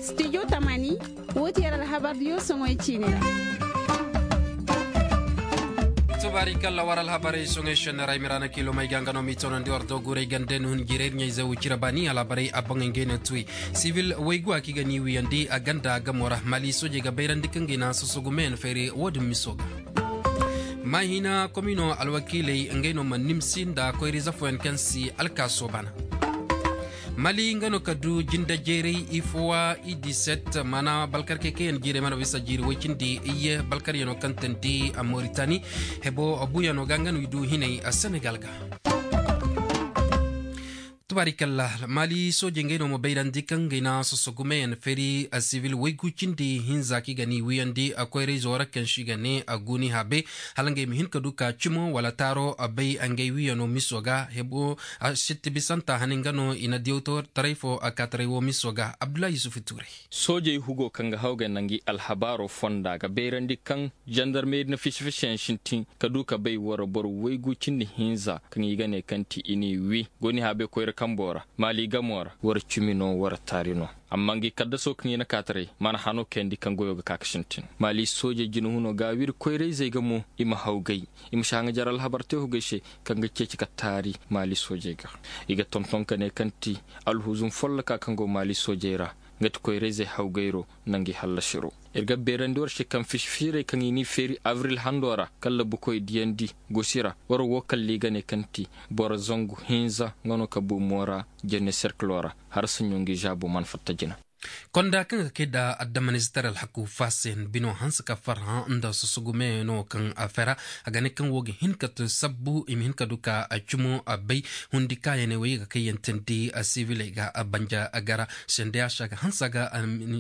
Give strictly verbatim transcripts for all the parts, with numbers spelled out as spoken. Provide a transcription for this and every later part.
Studio tamani, wo ti yar alhabar diyo soŋoy ciine ra. Tubaari kalla war alhabarey soŋoy senne ra ay miraana kiilo may ga nga no m'i toonandi war do guurey gande ni hun jiirey iri ɲayze wo cira baani alhabarey a boŋey ngey no tuy. Sivil waygu a kaŋ i ga ni wiyandi a ganda gamo ra maali soojey ga bayrandi kaŋ ga i na sosogu meyaŋ feeri wo- din miso ga. Maahina komino alwakiiley ngey no mana nimsi nda koyra ize fooyaŋ kaŋ si alkaaso bana. Mali nga no ka du jinde jeeray ifowa i diset mana balkarkey kaŋ yaŋ jiirey mana bisa jiiri way cindi iyye balkaryaŋo kaŋ tandi a moritani hebo buuyaŋo ga nga no i du hinay a senegal ga. Tubaari kalla maali soojey ngey no ma bayrandi kaŋ ngey na sosogu meyaŋ feeri a sivil waygu cindi hinza kaŋ i ga ni wiyandi a koyra izo ra kaŋ si ga ne a guuni habe hala ngey ma hin ka du ka cimo wala taaro a bay ngey wiyaŋo miso ga hebo a sitti bisanta hane nga no i na diyawtaray fo a kaataray wo miso ga abdullahi yusufu tuuray. Soojey hugo kaŋ ga hawgay nangu alhabaaro fonda ga bayrandi kaŋ jandarmey na fisi-fisiyaŋ sintin ka du ka bay wara boro waygu cindi hinza kaŋ i ga ne kaŋ ti i n'i wi gooni habe koyra kambo ra maali gamo ra wara cimi no wara taari no. Amma ngi kaddaso kaŋ i na kaataray mana hano kayandi kaŋ goyo ga ka ga sintin maali soojey jina huno ga wiri koyrayzey ga mo i ma hawgay i ma si haŋajar alhabar te hugay se kaŋ ga ceeci ka taari maali soojey ga. I ga tonton ka ne kaŋ ti alhuzum folloka kaŋ go maali soojey ra nga ti koyrayzey hawgayro nangu i hallasiro. Iri ga beerandi war se kaŋ fisi-fisirey kaŋ i n'i feeri abril hando ra kala bukoy diyandi gosi ra war wo kalla i ga ne kaŋ ti boro zangu hinza nga no ka bu moora jenne serkilo ra. Hala saɲɲo ngi zaabo mana fatta jina. Konda kaŋ ga kay nda addamanizitaray alhaku fasen bino hanse ka farhã nda sosogu meyaŋo kaŋ a fera a ga ne kaŋ wo ga hin ka to sabbu i ma hin ka du ka cumo a bay hundi kaayaney wo i ga kay yaŋ tandi siviley ga banja gara sendeyasa ga hanse a ga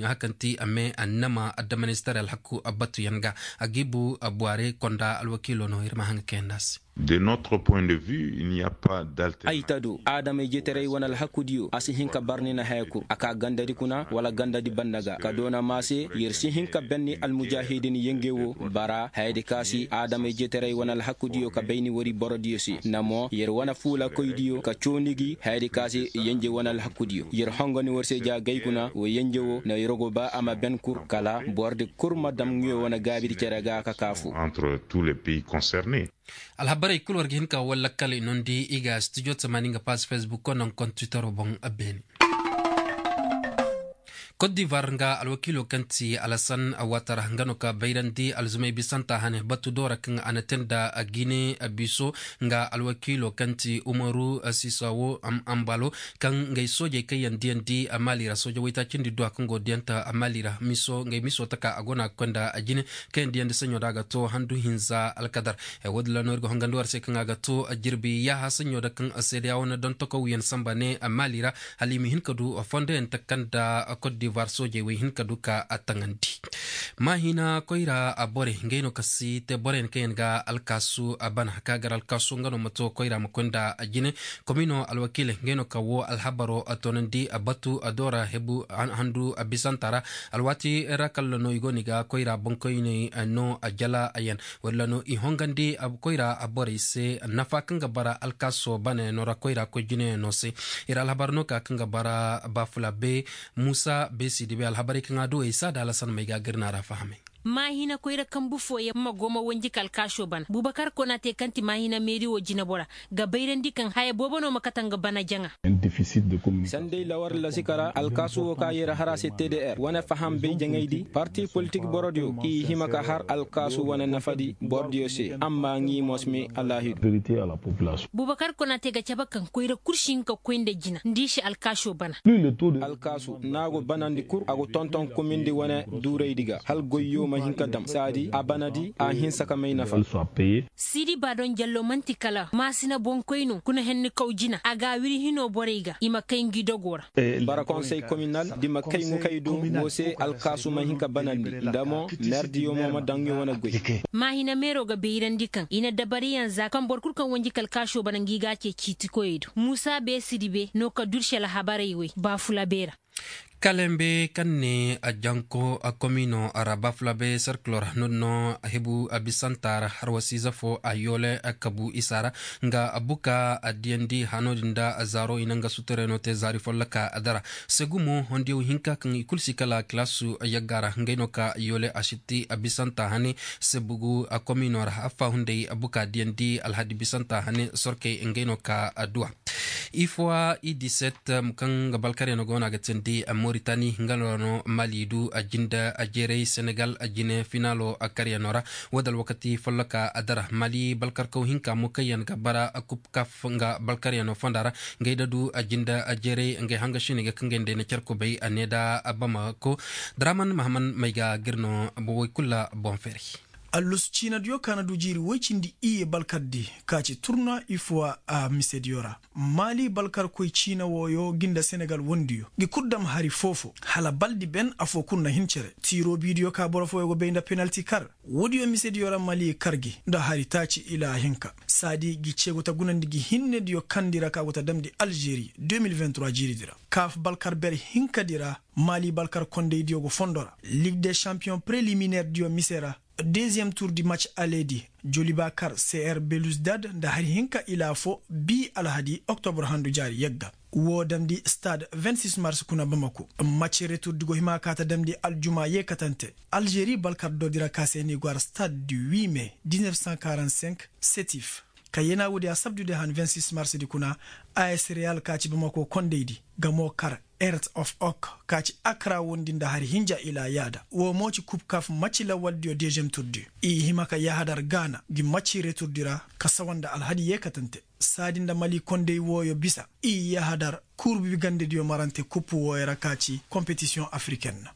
hakanti a me annama addamanizitaray alhaku batuyaŋ ga a ga i bu a buware konda alwakiilo no iri ma haŋ ga kayandi a se. De notre point de vue il n'y a pas d'alternative. Ay ta do adamay jeetaray wane alhakudiyo a si hin ka bar ni na haya kuru a ka gandadi kuna wala gandadi banda ga ka doona maase yer si hin ka benni almujahidin yenge wo bara hayadi ka si adamay jeetaray wane alhakudiyo ka bayni wari borodiyo se na mo yer wane fuulakoydiyo ka cooni gi hayadi ka si yenje wane alhakudiyo yer hongo ni war se ja gay kuna wo yenje wo na yer go ba a ma ben kuru kala borodi kulu ma dam nguyo wane gaabidi cere ga ka kaafu. Entre tous les pays concernés. Alhabarey kulu war ga hin ka war lakkal i nondi i ga studio tamaani nga pass facebook ko naŋ kontitaro boŋ beene. Kot divar nga alwakiilo kaŋ ti alasan watara nga no ka bayrandi alzumay bisanta hane batu doora kaŋ a na te nda gine biso nga alwakiilo kaŋ ti umaru sisawo ambalo kaŋ ngey soojey kaŋ yaŋ diyandi a maali ra sooja waytaacindi duwa kaŋ go diyanta a maali ra miso ngey miso taka a go no a ga koy nda a jine kaŋ yaŋ diyandi saɲo da a ga to handu hinza alkadar. Wo- din ra no iri ga hongandi war se kaŋ a ga to jirbi yaaha saɲo da kaŋ seedeya wane dontokow yaŋ samba ne a maali ra hala i ma hin ka du fondo yaŋ taka nda kot divar soojey wo i hin ka du ka a taŋandi. Maahina koyra a borey ngey no ka si te borey yaŋ kaŋ yaŋ ga alkaasu a bana ka gar alkaasu nga no ma to koyra ma koy nda a jine. Komino alwakiiley ngey no ka wo alhabaro a toonandi a batu a doora hebu handu a bisanta ra. Alwaati ra kalla no i go no i ga koyra boŋkoyney no a jala a yaŋ walla no i hongandi koyra a borey se nafa kaŋ ga bara alkaaso banayaŋo ra koyra koy jinayaŋo se. Iri alhabar no ka kaŋ ga bara bafulabe musa besi dibe alhabarey kaŋ a du ay saada alasan may ga gari no a ra fahamay. Maahina koyra kambu fooyaŋ ma go ma wanji ka alkaaso bana bubakar kona te kaŋ ti maahina meeri wo jinabora ga bayrandi kaŋ haya boobo no ma kate nga bana jaŋa. Sanday lawar lasika ra alkaasu wo ka yeera har a se tdr wane faham bay jaŋay di parti politik borodiyo i hima ka har alkaasu wane nafadi borodiyo se amma ŋi mosme alaahidu. Bubakar konate ga cabe kaŋ koyra kulu si hin ka koy nda jina nda i si alkaaso bana. Alkaasu no a go banandi kulu a go tonton kumindi wane duuraydi ga hala goyyo ma hin ka dam saadi a banadi a hinsa ka may nafa. Sidi baadon jallo manti kala maasina boŋkoy no kuna henni kaw jina a ga a wiri hino borey ga i ma kay ngi dogo ra. Bara konsey kominal da i ma kay ŋukay do wo se alkaasu ma hin ka banandi nda mo meerdiyo mo ma daŋ ɲo wane goy. Maahina meero ga bayrandi kaŋ i na dabariyaŋ za kaŋ boro kulu kaŋ wanji ka alkaaso bana ngi ga a ce ciitikoyey do muusa beesidi be no ka dursi alhabarey wey baafula beera. Kalembe kaŋ ne a janko a komino a ra bafulabe serkilo ra no- din no a hebu a bisanta ra harwasiize fo a yoole a kabu isa ra nga a buka a diyandi hano din da a zaaro i na nga sutureno te zaari folloka a dara. Segumo hondiyaw hinka kaŋ i kulu si kala kilaasu yagga ra ngey no ka yoole a sitti a bisanta hane. Sebugu a komino ra affa hunday a buka diyandi alhadi bisanta hane sorkey ngey no ka a duwa. Ifowa i diset kaŋ ga balkaryaŋo go no a ga tindi moritani nga no mali du a jinde a jeeray senegal a jine finaalo a karyaŋo ra. Wo da alwakati folloka a dara mali balkarkaw hinka mo kaŋ yaŋ ga bara a kub kaf nga balkaryaŋo fonda ra. Ngey da du a jinde a jeeray ngey hanga sine ga kaŋ gay ndey na care kubay a ne da a bamako draman mahaman may ga gir no. Bowey kulu boŋ feeri. Allusu ciinadiyo kaŋ a na du jiiri woy cindi iyye balkardi ka ci turna ifowa a misediyo ra. Maali balkarkoy ciina wooyo ga nda senegal wandiyo ga i kulu dam hari fo-fo hala baldi ben afo kulu na hin cere tiiro biidiyo ka boro fooyo go bay nda penalti kar. Woodiyo misediyo ra maali kar gi nda hari taaci ila hinka saadi ga i ceegu ta gunandi ga hinnediyo kandi ra ka go ta damndi alzeeri deux mille vingt-trois jiiridi ra. Kaaf balkar ber hinkadi ra maali balkar kondaydiyo go fondo ra ligue de champion preliminairediyo mise ra. Deuxième tour du match aller di joliba kar cr belouzdad nda hari hinka ila fo bi alhadi oktobro handu jaari yagga. Wo damndi stade vingt-six mars kuna bamako. Match retour di go hima ka ta damndi aljuma yeekatante alzeeri balkar do di ra ka se ni go har stade du huit mai dix-neuf cent quarante-cinq setif. Ka yeena woodi a sabdu de han vingt-six mars di kuna. As real ka ci bamako kondaydi gamo kar earth of oak ka ci akra wondi nda hari hinja ila yaada wo mo ci kub kaf macci lawaldiyo deuxième tour du. I hima ka yahadar gaana gi macci retour du ra ka sawa nda alhadi yeekatante saadi nda mali konday wooyo bisa. I yahadar kurbi gandediyo marante kuppu wooyo ra ka ci competition africaine.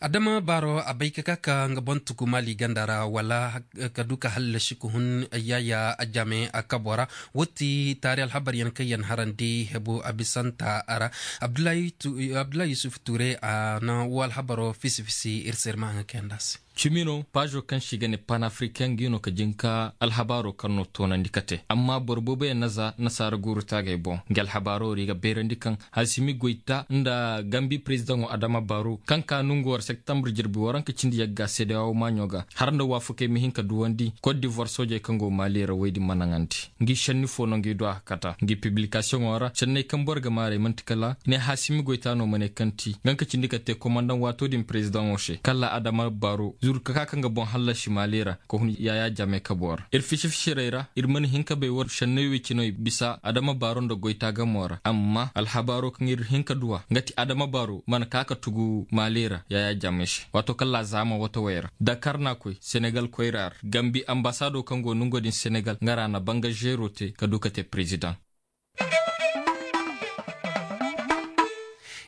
Adama baaro a bay ka ka ka nga boŋ tuku maali ganda ra wala ka du ka hallasi ka hun yaaya a jame a kabo ra. Wo ti taari alhabar yaŋ kaŋ yaŋ harandi hebu a bisanta ra. Abdullahi yusuf ture a na wo alhabaro fisi fisi iri se iri ma haŋa kayanda se. Cimi no paazo kaŋ se i ga ne panafricain ga i no ka jin ka alhabaaro kaŋ no toonandi ka te amma boro boobo yaŋ na za nasaara guuru taagey boŋ. Nga alhabaaro ra i ga beerandi kaŋ hasimi goyta nda gambi perezidaŋo adama baaru kaŋ ka nongu war septembre jirbi waranka cindi yagga seedeyawo maaɲo ga har nda waafakey ma hin ka duwandi kot divoire soojey kaŋ go maali ra woy din ma naŋandi. Ngi senni fo no ngi du a ga kata ngi pibilikasiyoŋo ra senney kaŋ boro ga maarey manti kala ne hasimi goyta no ma ne kaŋ ti nga ka cindi ka te komandaŋ waato din perezidaŋo se kala adama baaru zuru ka ka kaŋ ga boŋ hallasi maali ra ka hun yaya jame kabo ra iri fisi-fisirey ra iri mana hin ka bay war senney wey cinoy bisa adama baaru nda goyta gamo ra amma alhabaaro kaŋ iri hin ka duwa nga ti adama baaru mana ka ka tugu maali ra yaya jame se waato kala zaama wato wey ra dakar na koy senegal koyra ra gambi ambasaado kaŋ go nongo din senegal nga ra na banga zeero te ka du ka te perezidaŋ.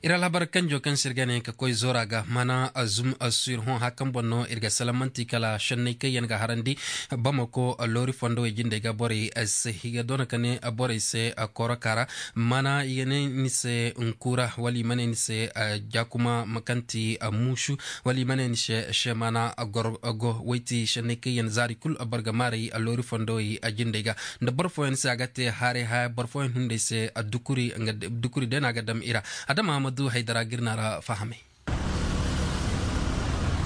Iri alhabar kanjo kaŋ se iri ga ne ka koy zoora ga mana a zum a su iri hõ hã kaŋ boŋ no iri ga salaŋ manti kala senney kaŋ yaŋ ga harandi bamako loori fondo wey jindey ga borey se i ga doona ka ne borey se kooroka ra mana i ga ne ni se nkuura wala i ma ne ni se jakuma ma kaŋ ti muusu wala i ma ne ni se se mana gorgo wayti senney kaŋ yaŋ zaari kulu boro ga maaray loori fondo wey jindey ga nda boro fooyaŋ se a ga te haaray haya boro fooyaŋ hunday se dukuri day no a ga dam i ra. Adama ma du haydara ga iri no a ra fahamay.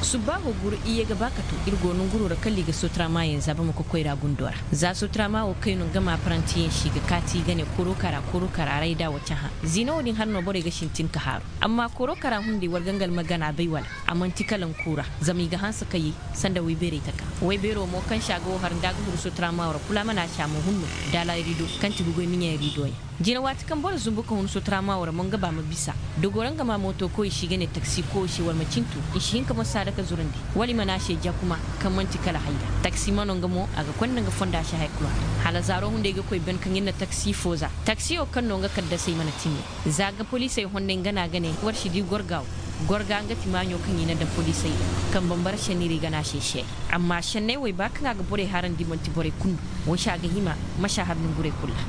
Subbaaho guru iyye ga ba ka to iri go nonguro ra kala i ga sotrama yaŋ za bamako koyra gundo ra za sotrama wo kay no nga ma apparanti yaŋ se i ga kaati i ga ne koro kara koro kara rayda wo cahã. Ziina wo- din hari no borey ga sintin ka haaru amma koro kara hunday war gangal ma gana bay wala a manti kala nkuura zama i ga hanse ka ye sanda waybeerey taka. Waybeero mo kaŋ se a ga wo har nda a ga huru sotrama wo ra kulu a mana se a ma hun no daala rido kaŋ ti ga goy miɲey rido yaŋ. Jina waati kaŋ boro zumbu ka hun sotrama wo ra mo nga ba ma bisa dogo ra nga ma mooto koy i se i ga ne taksi koy i se war ma cintu i si hin ka mo saada ka zurandi wala i mana se jakuma kaŋ manti kala hayra taksi mano nga mo a ga konda nga fonda se hay kulu a ra hala zaaro hunday ga koy ben kaŋ iri na taksi fo za taksi wo kaŋ no nga kaddasey mana timme za ga poliisey honday nga no a ga ne war si di gorga wo gorga nga ti maaɲo kaŋ i na daŋ poliisey do kaŋ bambara senney ra i ga ne a se seey amma senney wo i ba kaŋ a ga borey harandi manti borey kulu no wo se a ga hima masa har nongurey kulu ra.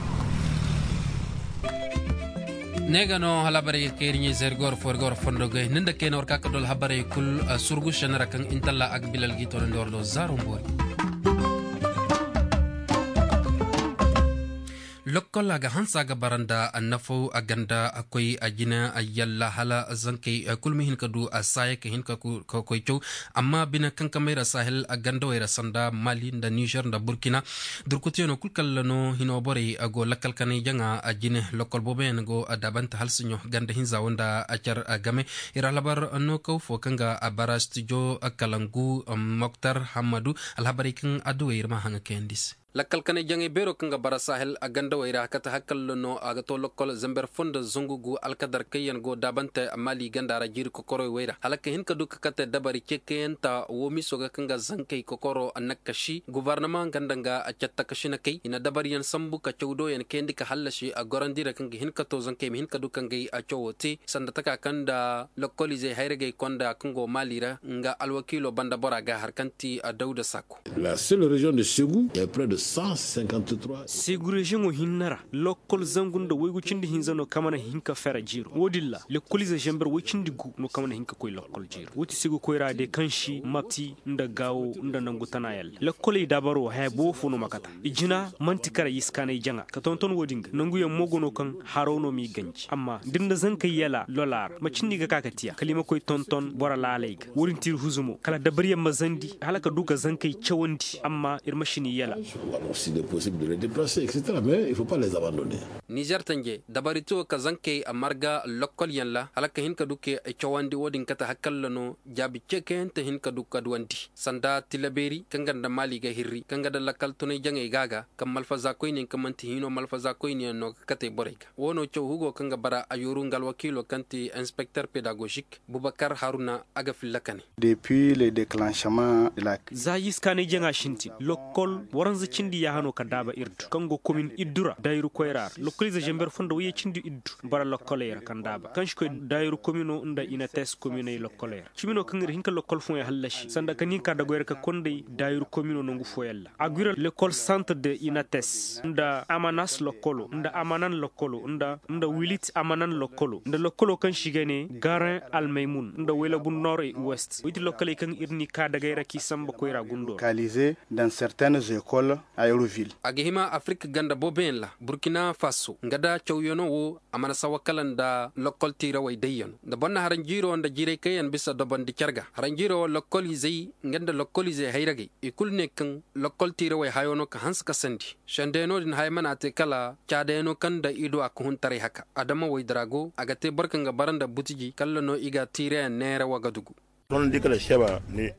Ne ga no hala habarey ga kay iri ɲey zari ga war fo iri ga war fondo gay ni nda kayna war ka ka du alhabarey kulu surgu senne ra kaŋ intalla a ga bilal ga i toonandi war do zaaro boori. Lokkol a ga hanse a ga bara nda nafaw a ganda koy a jina yalla hala zankey kulu ma hin ka du a saaya ka hin ka koy caw. Amma bine kaŋ ka mayra sahel gandawey ra sanda mali nda nizer nda burkina durkutuyaŋo kulu kala no hino borey go lakkal kanay jaŋa a jine lokkol booboyaŋ go daabante halsiɲo ganda hinza wo nda care game. Iri alhabar no kaw fo kaŋ ga a bara stijo kalangu moktar hammadu alhabarey kaŋ adduwey iri ma haŋa kayandi se. Lakkal kanay jaŋay beero kaŋ ga bara sahel a gandawey ra kate hakkallo no a ga to lokkol zamber fo nda zangu gu alkadar kaŋ yaŋ go daabante maali ganda ra jiiri kokorowey ra hala ka hin ka du ka kate dabari ceekayanta wo miiso ga kaŋ ga zankey kokoro nakkasi gubarnama ganda nga a catta ka sinakey i na dabariyaŋ sambu ka caw doyaŋ kayandi ka hallasi a gorandi ra kaŋ ga hin ka to zankey ma hin ka du kaŋ gay a cawo te sanda taka kaŋ nda lokkoliizey hayragey konda kaŋ go maali ra nga alwakiilo banda bora ga har kaŋ ti a dawda saako. La seule région de Ségou est près de cent cinquante-trois. Segu reziyoŋo hinne ra lokkol zangu nda waygu cindi hinza no kaŋ mana hin ka fera jiiro wo- din ra lekkoliize zamber way cindi gu no kaŋ mana hin ka koy lokkol jiiro wo- ti segu koyra day kaŋ si mapti nda gaawo nda nangu tana yalla lekkoley daabaro haya boobo fo no ma kata i jina manti kara yiskaanay jaŋa ka tonton wo- din ga nanguyaŋ mo go no kaŋ haro no m'i ganji amma da ni na zankey yala lola ra macindi ga ka ka tiya kala i ma koy tonton boro laaley ga wo- din ti iri huzumo kala dabariyaŋ ma zandi hala ka du ka zankey cawandi amma iri ma si n'i yala. Nizer tanje dabari to ka zankey a marga lokkolyaŋ ra hala ka hin ka du ka i cawandi wo- din kate hakalla no jaabi ceekayante hin ka du ka duwandi sanda tilabeeri kaŋ ga nda maali ga hirri kaŋ ga da lakkal tunay jaŋey ga ga kaŋ malfaza koyne kaŋ manti hino malfaza koyne yaŋ no ga kate borey ga wo- no caw hugo kaŋ ga bara a yooru nga alwakiilo kaŋ ti inspekter pedagozik bubakar haruna a ga filla ka ne. Za yiskaanay jaŋa sintin lokkol waranza cindi yaahano ka daaba iri du kaŋ go komin iddu ra daayiru koyra ra lokkoliize zamber fo nda wayye cindi iddu bara lokkoley ra kaŋ daaba kaŋ si koy daayiru komino nda inates kominey lokkoley ra cimi no kaŋ iri hin ka lokkol fooyaŋ hallasi sanda kaŋ nin ka dagoy ra ka kondey daayiru komino nangu fooyaŋ ra a gwira lekkol santre de inates nda amanas lokkolo nda amanan lokkolo nda wilit amanan lokkolo nda lokkolo kaŋ si ga ne garin almaymun nda waylabu nord et ouest way ti lokkoley kaŋ iri n'i ka dagay ra k'i samba koyra gundo ra. A ga hima afirka ganda booboyaŋ ra burkina faso nga da cawyaŋo wo a mana sawa kala nda lokkol tiirawey dayyano nda boro na haranjiiro nda jiiray kaŋ yaŋ bisa dobondi care ga haranjiiro wo lokkoliizey nga nda lokkoliizey hayragey i kulu ne kaŋ lokkol tiirawey hayo no ka hanse ka sandi sendey no- din haya mana te kala caadayaŋo kaŋ nda i du a ga hun taray haka adama waydara go a ga te boro kaŋ ga bara nda butiji kala no i ga tiirayaŋ neera wagadugu.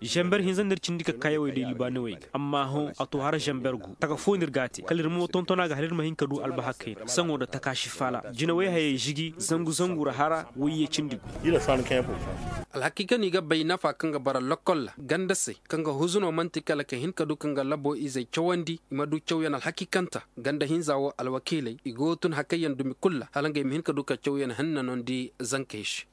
Zamber hinza no iri cindi ka kaayawey day libaanawey ga amma hõ a to hara zamber gu taka fo no iri ga a te kala iri mo tonton a ga hala iri ma hin ka du albahakey ra saŋo nda taka si faala jinawey hayey zigi zangu zangu ra hara wayye cindi gu. Alhakiika no i ga bay nafa kaŋ ga bara lokkol ra ganda se kaŋ ga huzuno manti kala ka hin ka du kaŋ ga labo izey cawandi i ma du cawyaŋ alhakiikanta ganda hinza wo alwakiiley i go ga tun hakayyaŋ dumi kulu ra hala ngey ma hin ka du ka cawyaŋ hanna no ni di zankey se.